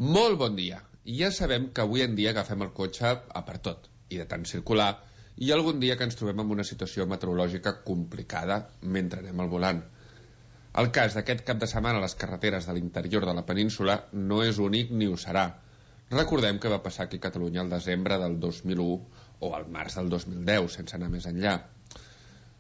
Molt bon dia. Ja sabem que avui en dia agafem el cotxe a per tot, i de tant circular, i algun dia que ens trobem en una situació meteorològica complicada mentre anem al volant. El cas d'aquest cap de setmana a les carreteres de l'interior de la península no és únic ni ho serà. Recordem que va passar aquí a Catalunya al desembre del 2001 o al març del 2010, sense anar més enllà.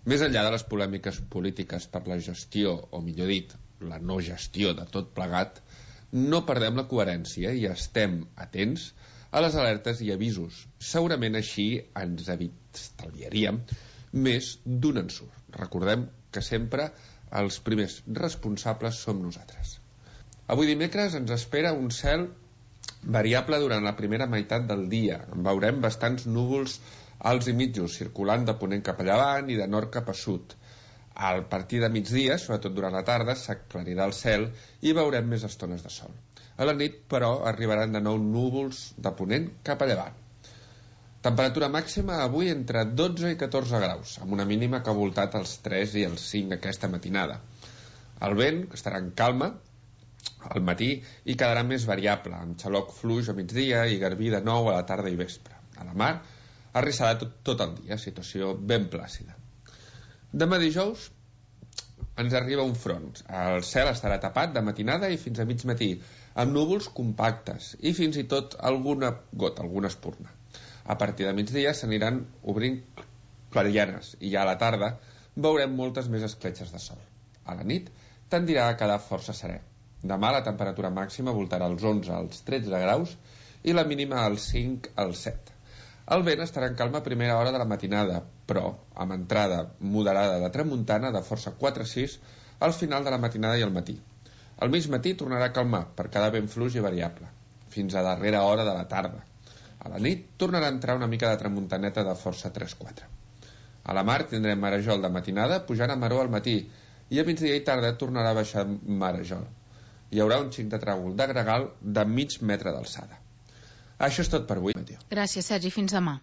Més enllà de les polèmiques polítiques per la gestió, o millor dit, la no gestió de tot plegat, no perdem la coherència i estem atents a les alertes i avisos. Segurament així ens estalviaríem més d'un ensurt. Recordem que sempre els primers responsables som nosaltres. Avui dimecres ens espera un cel variable durant la primera meitat del dia. En veurem bastants núvols alts i mitjos circulant de ponent cap a llevant i de nord cap a sud. Al partir de migdia, sobretot durant la tarda, s'aclarirà el cel i veurem més estones de sol. A la nit, però, arribaran de nou núvols de ponent cap a llevant. Temperatura màxima avui entre 12 i 14 graus, amb una mínima que ha voltat els 3 i els 5 aquesta matinada. El vent estarà en calma al matí i quedarà més variable, amb xaloc fluix a migdia i garbí de nou a la tarda i vespre. A la mar arrissarà tot el dia, situació ben plàcida. Demà dijous ens arriba un front. El cel estarà tapat de matinada i fins a mig matí, amb núvols compactes i fins i tot alguna gota, alguna espurna. A partir de migdia s'aniran obrint clarianes i ja a la tarda veurem moltes més escletxes de sol. A la nit tendirà a quedar força serè. Demà la temperatura màxima voltarà als 11 als 13 graus i la mínima als 5 als 7. El vent estarà en calma a primera hora de la matinada, però amb entrada moderada de tramuntana de força 4-6 al final de la matinada i al matí. Al mig matí tornarà a calmar per quedar ben fluix i variable, fins a darrera hora de la tarda. A la nit tornarà a entrar una mica de tramuntaneta de força 3-4. A la mar tindrem marejol de matinada pujant a maró al matí i a migdia i tarda tornarà a baixar marejol. Hi haurà un xic de tràgol de gregal de mig metre d'alçada. Això és tot per avui, Mateu. Gràcies, Sergi. Fins demà.